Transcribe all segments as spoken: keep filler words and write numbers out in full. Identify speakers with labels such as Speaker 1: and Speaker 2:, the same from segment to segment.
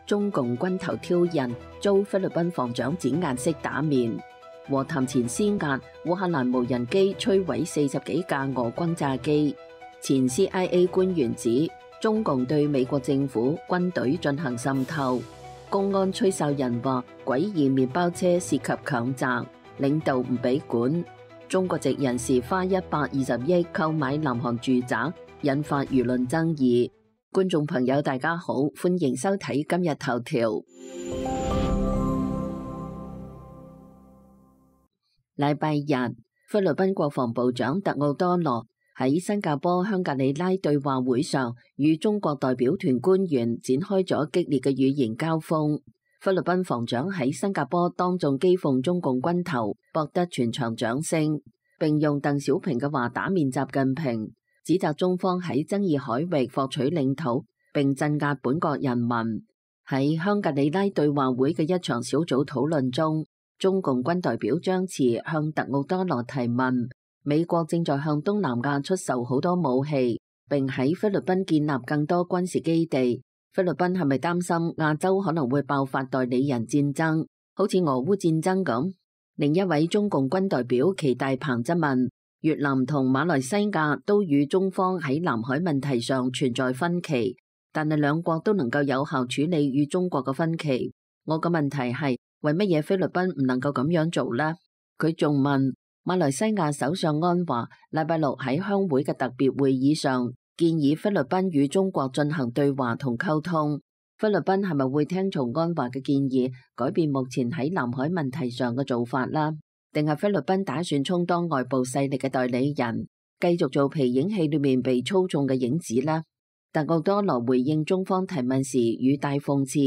Speaker 1: 中共軍頭挑釁，遭菲律賓防長展顏色打面。和談前施壓，烏克蘭無人機摧毀四十幾架俄轟炸機。前 C I A 官員指，中共對美國政府軍隊進行滲透。公安吹哨人話，詭異麵包車涉及強襲，領導唔俾管。中國籍人士花一百二十億購買南韓住宅，引發輿論爭議。觀眾朋友大家好，歡迎收睇今日頭條。禮拜日，菲律賓國防部長特奧多羅喺新加坡香格里拉對話會上，與中國代表團官員展開咗激烈嘅語言交鋒。菲律賓防長喺新加坡當眾譏諷中共軍頭，博得全場掌聲，並用鄧小平嘅話打面習近平，指責中方喺爭議海域獲取領土，並鎮壓本國人民。喺香格里拉對話會嘅一場小組討論中，中共軍代表張弛向特奧多羅提問：美國正在向東南亞出售好多武器，並喺菲律賓建立更多軍事基地。菲律賓係咪擔心亞洲可能會爆發代理人戰爭，好似俄烏戰爭咁？另一位中共軍代表祁大鵬質問：越南同馬來西亞都與中方喺南海問題上存在分歧，但係兩國都能夠有效處理與中國嘅分歧。我嘅問題係，為乜嘢菲律賓唔能夠咁樣做呢？佢仲問馬來西亞首相安華禮拜六喺鄉會嘅特別會議上建議菲律賓與中國進行對話同溝通。菲律賓係咪會聽從安華嘅建議，改變目前喺南海問題上嘅做法啦？定係菲律賓打算充當外部勢力嘅代理人，繼續做皮影戲裏面被操縱嘅影子呢？特奧多羅回應中方提問時語帶諷刺，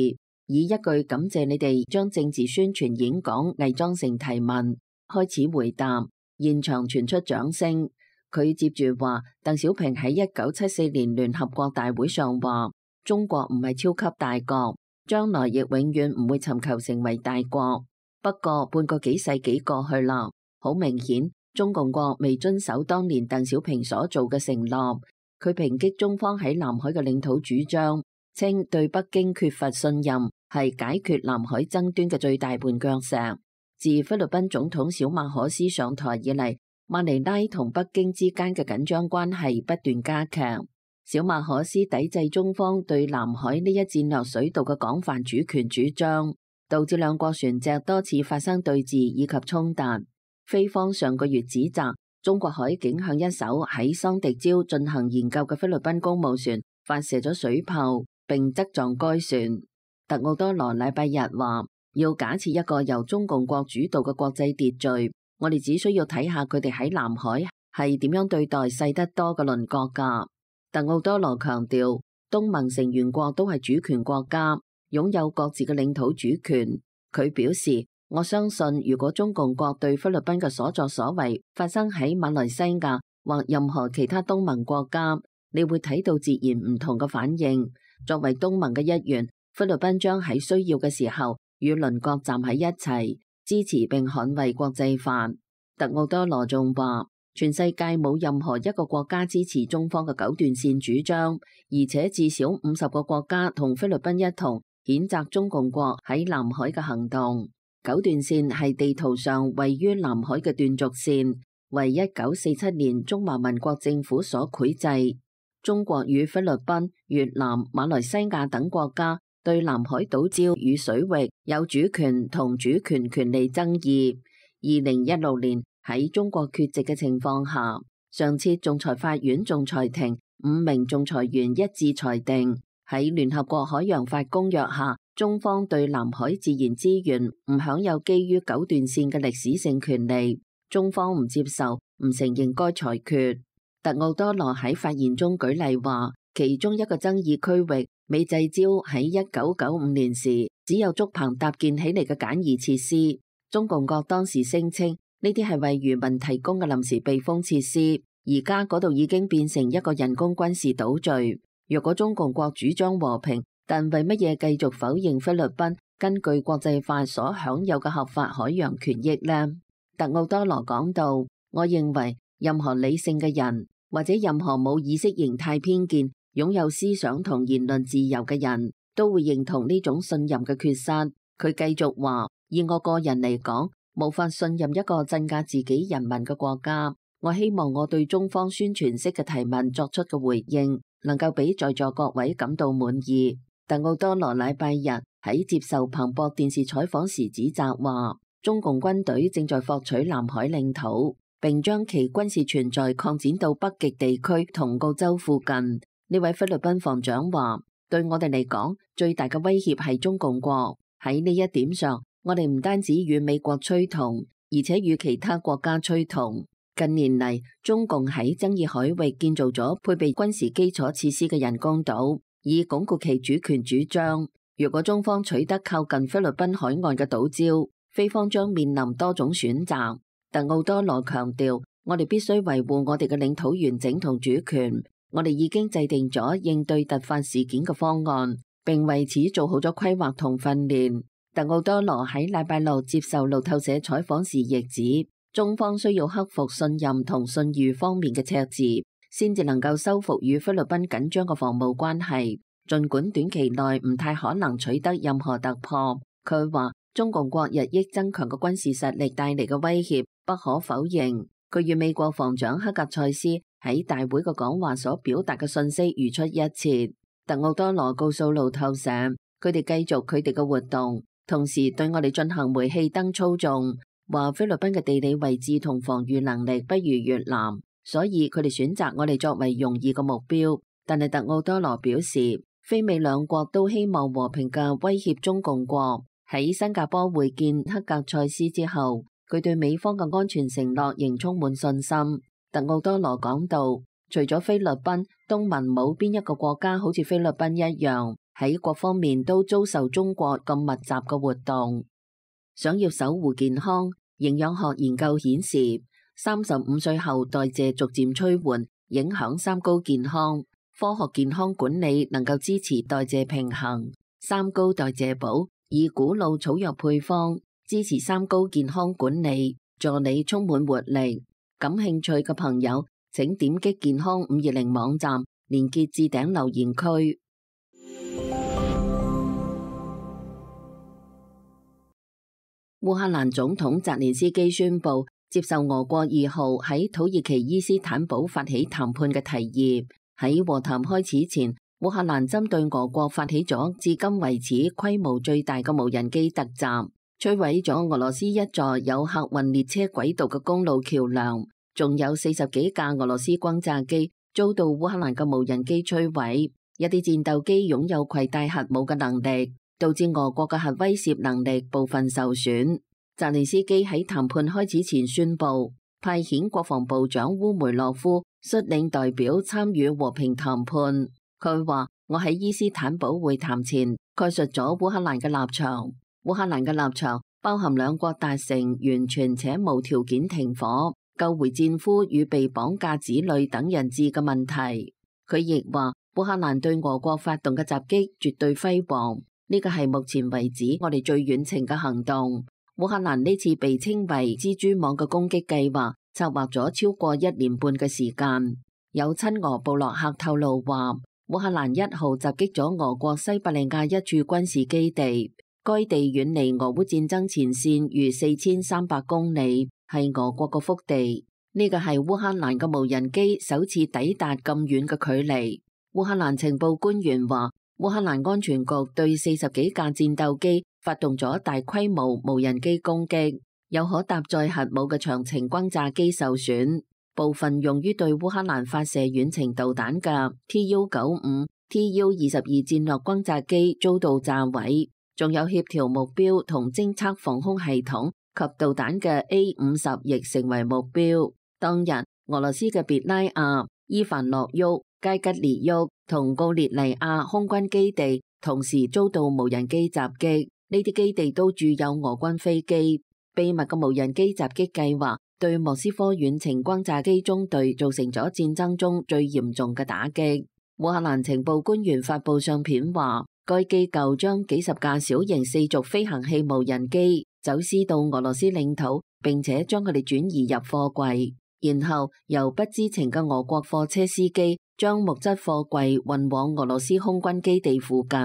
Speaker 1: 以一句感謝你哋將政治宣傳演講偽裝成提問開始回答，現場傳出掌聲。佢接住話，鄧小平喺一九七四年聯合國大會上話，中國唔係超級大國，將來亦永遠唔會尋求成為大國。不過半個幾世紀過去啦，好明顯中共國未遵守當年鄧小平所做嘅承諾。佢抨擊中方喺南海嘅領土主張，稱對北京缺乏信任係解決南海爭端嘅最大絆腳石。自菲律賓總統小馬可斯上台以嚟，馬尼拉同北京之間嘅緊張關係不斷加劇。小馬可斯抵制中方對南海呢一戰略水道嘅廣泛主權主張，導致兩國船隻多次發生對峙以及衝突。菲方上個月指責中國海警向一艘喺桑迪礁進行研究嘅菲律賓公務船發射咗水炮，並側撞該船。特奧多羅禮拜日話，要假設一個由中共國主導嘅國際秩序，我哋只需要睇下佢哋喺南海係點樣對待細得多嘅鄰國㗎。特奧多羅強調，東盟成員國都係主權國家，擁有各自嘅領土主權。佢表示，我相信如果中共國對菲律賓嘅所作所為發生喺馬來西亞或任何其他東盟國家，你會睇到截然唔同嘅反應。作為東盟嘅一員，菲律賓將喺需要嘅時候與鄰國站喺一齊，支持並捍衛國際法。特奧多羅仲話，全世界冇任何一個國家支持中方嘅九段線主張，而且至少五十個國家同菲律賓一同譴責中共國喺南海嘅行動。九段線係地圖上位於南海嘅斷續線，為一九四七年中華民國政府所繪製。中國與菲律賓、越南、馬來西亞等國家對南海島礁與水域有主權同主權權利爭議。二零一六年喺中國缺席嘅情況下，上次仲裁法院仲裁庭五名仲裁員一致裁定，喺聯合國海洋法公約下，中方對南海自然資源唔享有基於九段線嘅歷史性權利，中方唔接受、唔承認該裁決。特奧多羅喺發言中舉例話，其中一個爭議區域美濟礁喺一九九五年時只有竹棚搭建起嚟嘅簡易設施，中共國當時聲稱呢啲係為漁民提供嘅臨時避風設施，而家嗰度已經變成一個人工軍事島嶼。若果中共國主張和平，但為乜嘢繼續否認菲律賓根據國際法所享有嘅合法海洋權益呢？特奧多羅講到，我認為任何理性嘅人或者任何冇意識形態偏見、擁有思想同言論自由嘅人，都會認同呢種信任嘅缺失。佢繼續話：以我個人嚟講，無法信任一個鎮壓自己人民嘅國家。我希望我對中方宣傳式嘅提問作出嘅回應，能夠俾在座各位感到滿意。特奧多羅禮拜日喺接受彭博電視採訪時指責話，中共軍隊正在獲取南海領土，並將其軍事存在擴展到北極地區同澳洲附近。呢位菲律賓防長話：對我哋嚟講，最大嘅威脅係中共國。喺呢一點上，我哋唔單止與美國趨同，而且與其他國家趨同。近年嚟，中共喺爭議海域建造咗配備軍事基礎設施嘅人工島，以鞏固其主權主張。如果中方取得靠近菲律賓海岸嘅島礁，菲方將面臨多種選擇。特奧多羅強調，我哋必須維護我哋嘅領土完整同主權。我哋已經制定咗應對突發事件嘅方案，並為此做好咗規劃同訓練。特奧多羅喺禮拜六接受路透社採訪時亦指，中方需要克服信任同信譽方面嘅赤字，先至能夠修復與菲律賓緊張嘅防務關係。儘管短期內唔太可能取得任何突破，佢話中共國日益增強嘅軍事實力帶嚟嘅威脅不可否認。佢與美國防長克格塞斯喺大會嘅講話所表達嘅信息如出一轍。特奧多羅告訴路透社，佢哋繼續佢哋嘅活動，同時對我哋進行煤氣燈操縱，話菲律賓嘅地理位置同防禦能力不如越南，所以佢哋選擇我哋作為容易嘅目標。但係特奧多羅表示，菲美兩國都希望和平嘅威脅中共國。喺新加坡會見克格塞斯之後，佢對美方嘅安全承諾仍充滿信心。特奧多羅講到，除咗菲律賓，東盟冇邊一個國家好似菲律賓一樣，喺各方面都遭受中國咁密集嘅活動。想要守護健康，營養學研究顯示，三十五歲後代謝逐漸趨緩，影響三高健康。科學健康管理能夠支持代謝平衡。三高代謝寶以古老草藥配方支持三高健康管理，助你充滿活力。感興趣嘅朋友，請點擊健康五二零網站，連結置頂留言區。烏克蘭總統澤連斯基宣布接受俄國二號喺土耳其伊斯坦堡發起談判嘅提議。喺和談開始前，烏克蘭針對俄國發起咗至今為止規模最大嘅無人機突襲，摧毀咗俄羅斯一座有客運列車軌道嘅公路橋樑，仲有四十幾架俄羅斯轟炸機遭到烏克蘭嘅無人機摧毀。一啲戰鬥機擁有攜帶核武嘅能力，導致俄國嘅核威懾能力部分受損。澤連斯基喺談判開始前宣布，派遣國防部長烏梅洛夫率領代表參與和平談判。佢話：我喺伊斯坦堡會談前概述咗烏克蘭嘅立場。烏克蘭嘅立場包含兩國達成完全且無條件停火、救回戰俘與被綁架子女等人質嘅問題。佢亦話：烏克蘭對俄國發動嘅襲擊絕對輝煌，呢個係目前為止我哋最遠程嘅行動。烏克蘭呢次被稱為蜘蛛網嘅攻擊計劃，策劃咗超過一年半嘅時間。有親俄部落客透露話，烏克蘭一號襲擊咗俄國西伯利亞一處軍事基地，該地遠離俄烏戰爭前線逾四千三百公里，係俄國嘅腹地。呢個係烏克蘭嘅無人機首次抵達咁遠嘅距離。烏克蘭情報官員話，烏克蘭安全局對四十幾架戰鬥機發動咗大規模無人機攻擊，有可搭載核武嘅長程轟炸機受損，部分用於對烏克蘭發射遠程導彈嘅 T U 九五、T U 二十二戰略轟炸機遭到炸毀，仲有協調目標同偵測防空系統及導彈嘅 A 五十亦成為目標。當日，俄羅斯嘅別拉亞、伊凡諾沃、佳吉列沃同奧列尼亞空軍基地同時遭到無人機襲擊，呢啲基地都駐有俄軍飛機。秘密嘅無人機襲擊計劃對莫斯科遠程轟炸機中隊造成咗戰爭中最嚴重嘅打擊。烏克蘭情報官員發布相片話，該機構將幾十架小型四軸飛行器無人機走私到俄羅斯領土，並且將佢哋轉移入貨櫃，然後由不知情嘅俄國貨車司機將木質貨櫃運往俄羅斯空軍基地附近。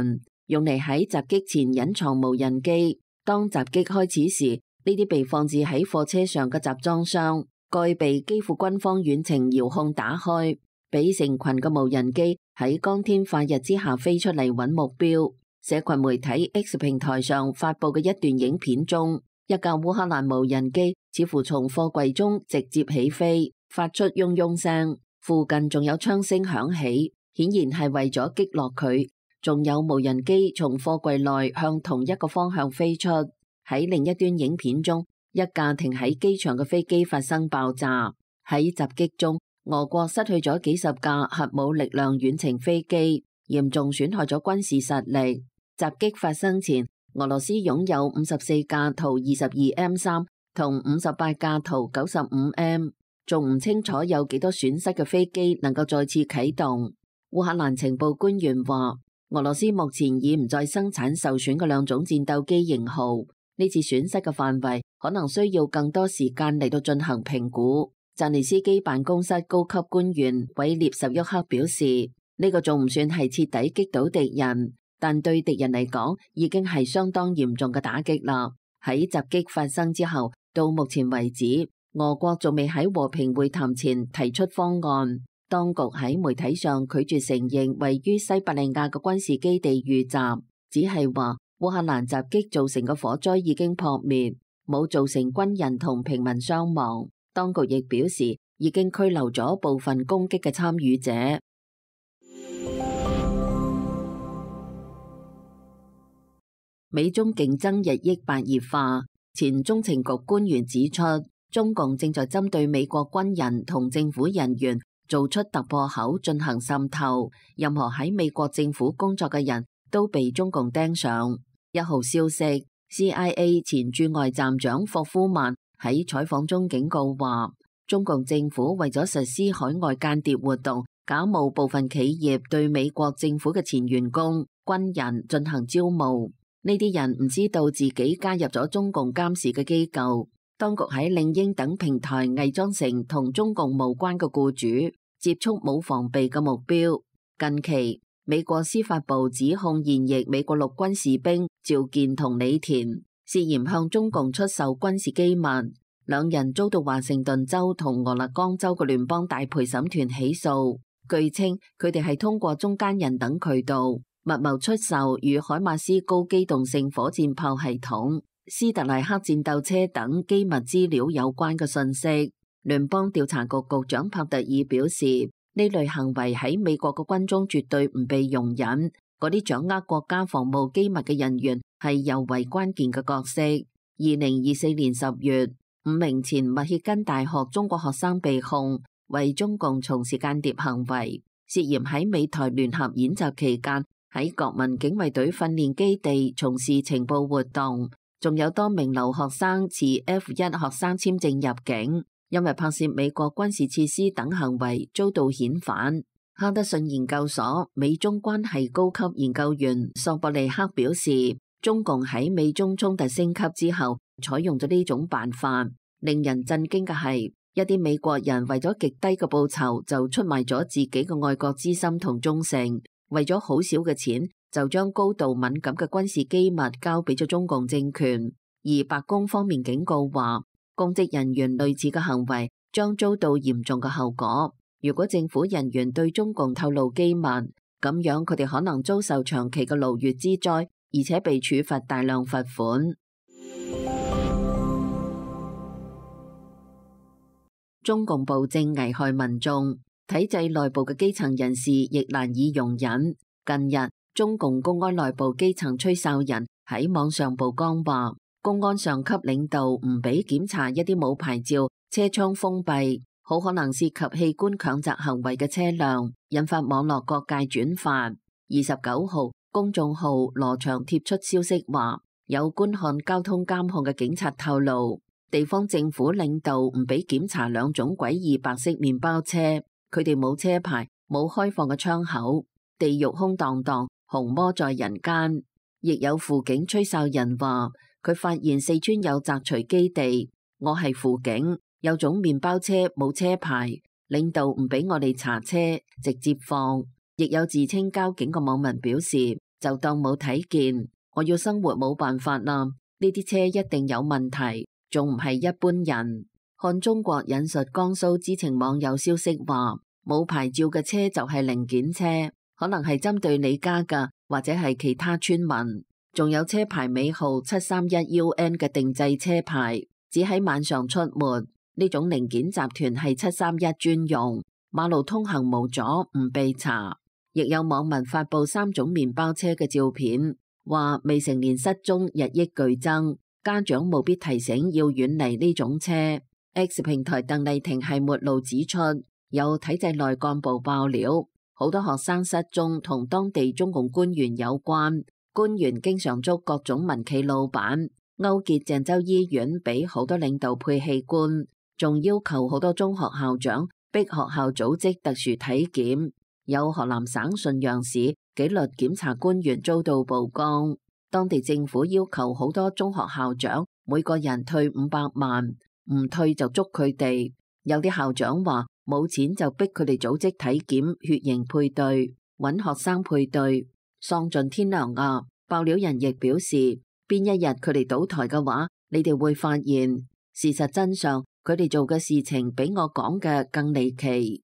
Speaker 1: 用嚟喺襲擊前隱藏無人機。當襲擊開始時，呢啲被放置喺貨車上嘅集裝箱蓋被基輔軍方遠程遙控打開，俾成群嘅無人機喺光天化日之下飛出嚟揾目標。社群媒體 X 平台上發佈嘅一段影片中，一架烏克蘭無人機似乎從貨櫃中直接起飛，發出嗡嗡聲，附近仲有槍聲響起，顯然係為咗擊落佢。仲有無人機從貨櫃內向同一個方向飛出。喺另一端影片中，一架停喺機場嘅飛機發生爆炸。喺襲擊中，俄國失去咗幾十架核武力量遠程飛機，嚴重損害咗軍事實力。襲擊發生前，俄羅斯擁有五十四架圖二十二 M 三同五十八架圖九十五 M， 仲唔清楚有幾多損失嘅飛機能夠再次啟動。烏克蘭情報官員話，俄羅斯目前已唔再生產受損嘅兩種戰鬥機型號，呢次損失嘅範圍可能需要更多時間嚟到進行評估。澤連斯基辦公室高級官員韋列什沃克表示，呢個仲唔算係徹底擊倒敵人，但對敵人嚟講已經係相當嚴重嘅打擊啦。喺襲擊發生之後，到目前為止，俄國仲未喺和平會談前提出方案。當局喺媒體上拒絕承認位於西伯利亞嘅軍事基地遇襲，只係話烏克蘭襲擊造成嘅火災已經撲滅，冇造成軍人同平民傷亡。當局亦表示已經拘留咗部分攻擊嘅參與者。美中競爭日益白熱化，前中情局官員指出，中共正在針對美國軍人同政府人員做出突破口進行滲透，任何喺美國政府工作嘅人都被中共盯上。一號消息 ，C I A 前駐外站長霍夫曼喺採訪中警告話，中共政府為咗實施海外間諜活動，假冒部分企業對美國政府嘅前員工、軍人進行招募。呢啲人唔知道自己加入咗中共監視嘅機構。當局喺領英等平台偽裝成同中共無關嘅僱主，接觸冇防備嘅目標。近期，美國司法部指控現役美國陸軍士兵趙健同李田涉嫌向中共出售軍事機密，兩人遭到華盛頓州同俄勒岡州嘅聯邦大陪審團起訴。據稱，佢哋係通過中間人等渠道密謀出售與海馬斯高機動性火箭炮系統、斯特萊克戰鬥車等機密資料有關嘅信息。聯邦調查局局長帕特爾表示，呢類行為喺美國嘅軍中絕對唔被容忍。嗰啲掌握國家防務機密嘅人員係尤為關鍵嘅角色。二零二四年十月，五名前密歇根大學中國學生被控為中共從事間諜行為，涉嫌喺美台聯合演習期間喺國民警衛隊訓練基地從事情報活動，仲有多名留學生持 F 一 學生簽證入境，因為拍攝美國軍事設施等行為遭到遣返。哈德遜研究所美中關係高級研究員索博利克表示，中共喺美中衝突升級之後採用咗呢種辦法。令人震驚嘅係，一啲美國人為咗極低嘅報酬就出賣咗自己嘅愛國之心同忠誠，為咗好少嘅錢就將高度敏感嘅軍事機密交俾咗中共政權。而白宮方面警告話，公職人員類似嘅行為將遭到嚴重嘅後果。如果政府人員對中共透露機密，咁樣佢哋可能遭受長期嘅勞役之災，而且被處罰大量罰款。中共暴政危害民眾，體制內部嘅基層人士亦難以容忍。近日，中共公安內部基層吹哨人喺網上曝光話，公安上級領導唔俾檢查一啲冇牌照、車窗封閉、好可能涉及器官強摘行為嘅車輛，引發網絡各界轉發。二十九號，公眾號羅翔貼出消息話，有觀看交通監控嘅警察透露，地方政府領導唔俾檢查兩種詭異白色麵包車，佢哋冇車牌，冇開放嘅窗口，地獄空蕩蕩，紅魔在人間。亦有輔警吹哨人話，佢發現四川有摘錘基地，我係輔警，有種麵包車冇車牌，領導唔俾我哋查車，直接放。亦有自稱交警嘅網民表示，就當冇睇見。我要生活冇辦法啦，呢啲車一定有問題，仲唔係一般人。看中國引述江蘇知情網友消息話，冇牌照嘅車就係零件車，可能係針對你家㗎，或者係其他村民。仲有車牌尾號七三一 U N 嘅定製車牌，只喺晚上出沒。呢種零件集團係七三一專用，馬路通行無阻，唔被查。亦有網民發布三種麵包車嘅照片，話未成年失蹤日益劇增，家長務必提醒要遠離呢種車。X 平台鄧麗婷係末路指出，有體制內幹部爆料，好多學生失蹤同當地中共官員有關，官員經常捉各種民企老闆，勾結鄭州醫院俾好多領導配器官，仲要求好多中學校長逼學校組織特殊體檢。有河南省信陽市紀律檢查官員遭到曝光，當地政府要求好多中學校長每個人退五百萬，唔退就捉佢哋。有啲校長話冇錢就逼佢哋組織體檢、血型配對，揾學生配對，喪盡天良啊！爆料人亦表示，邊一日佢哋倒台嘅話，你哋會發現事實真相，佢哋做嘅事情比我講嘅更離奇。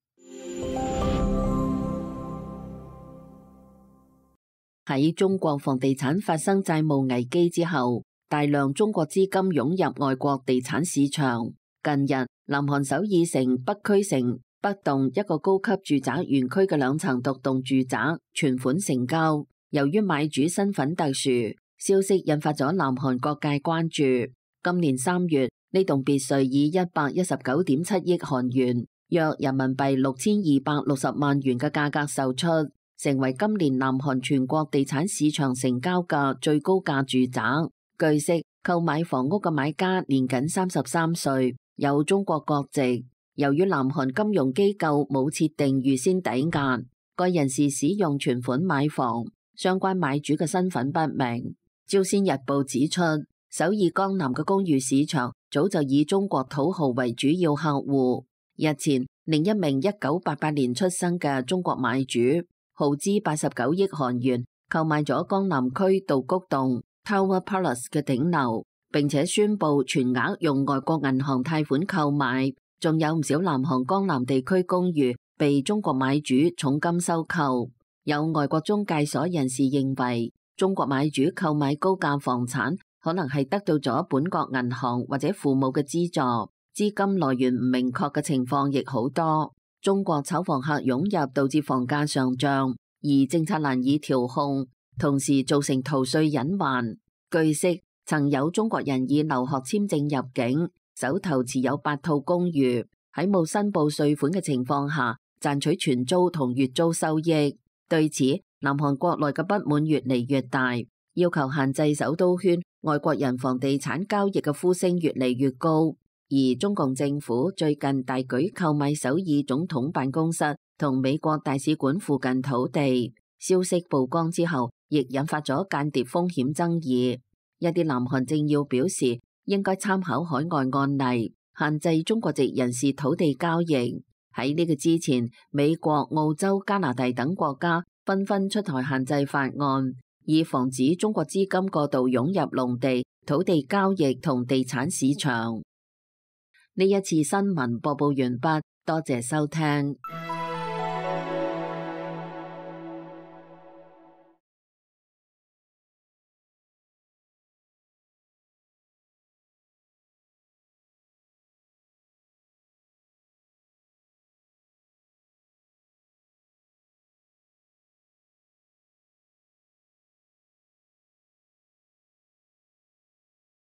Speaker 1: 喺中國房地產發生債務危機之後，大量中國資金湧入外國地產市場。近日，南韓首爾城北區城北棟一個高級住宅園區嘅兩層獨棟住宅存款成交，由於買主身份特殊，消息引發咗南韓各界關注。今年三月，呢棟別墅以一百一十九點七億韓元，約人民幣六千二百六十萬元嘅價格售出，成為今年南韓全國地產市場成交嘅最高價住宅。據悉，購買房屋嘅買家年僅三十三歲，有中國國籍。由於南韓金融機構冇設定預先抵押，該人士使用存款買房，相關買主嘅身份不明。朝鮮日報指出，首爾江南嘅公寓市場早就以中國土豪為主要客戶。日前，另一名一九八八年出生嘅中國買主，耗資八十九億韓元購買咗江南區道谷洞 Tower Palace 嘅頂樓，並且宣布全額用外國銀行貸款購買。仲有唔少南韓江南地區公寓被中國買主重金收購。有外國中介所人士認為，中國買主購買高價房產可能係得到咗本國銀行或者父母嘅資助，資金來源唔明確嘅情況亦好多。中國炒房客湧入導致房價上漲，而政策難以調控，同時造成逃稅隱患。據悉，曾有中國人以留學簽證入境，手頭持有八套公寓，喺冇申報稅款嘅情況下賺取全租同月租收益。對此，南韓國內嘅不滿越嚟越大，要求限制首都圈外國人房地產交易嘅呼聲越嚟越高。而中共政府最近大舉購買首爾總統辦公室同美國大使館附近土地，消息曝光之後，亦引發咗間諜風險爭議。一啲南韓政要表示，應該參考海外案例，限制中國籍人士土地交易。喺呢個之前，美國、澳洲、加拿大等國家紛紛出台限制法案，以防止中國資金過度湧入農地、土地交易同地產市場。呢一次新聞播報完畢，多謝收聽。